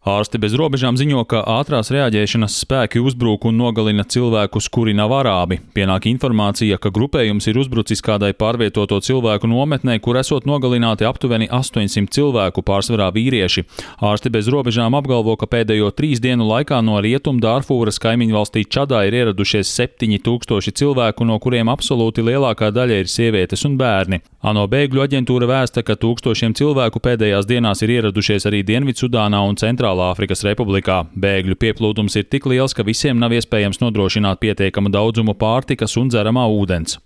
Ārsti bez robežām ziņo, ka ātrās reaģēšanas spēki uzbruk un nogalina cilvēkus, kuri nav arābi. Pienāk informācija, ka grupējums ir uzbrucis kādai pārvietoto cilvēku nometnē, kur esot nogalināti aptuveni 800 cilvēku, pārsvarā vīrieši. Ārsti bez robežām apgalvo, ka pēdējo 3 dienu laikā no Rietum Dārfūras kaimiņvalstī Čadā ir ieradušies 7000 cilvēku, no kuriem absolūti lielākā daļa ir sievietes un bērni. ANO bēgļu aģentūra vēsta, ka tūkstošiem cilvēku pēdējās dienās ir ieradušies arī Dienvidsudānā un Centrālāfrikas Republikā. Bēgļu pieplūdums ir tik liels, ka visiem nav iespējams nodrošināt pietiekamu daudzumu pārtikas un dzeramā ūdens.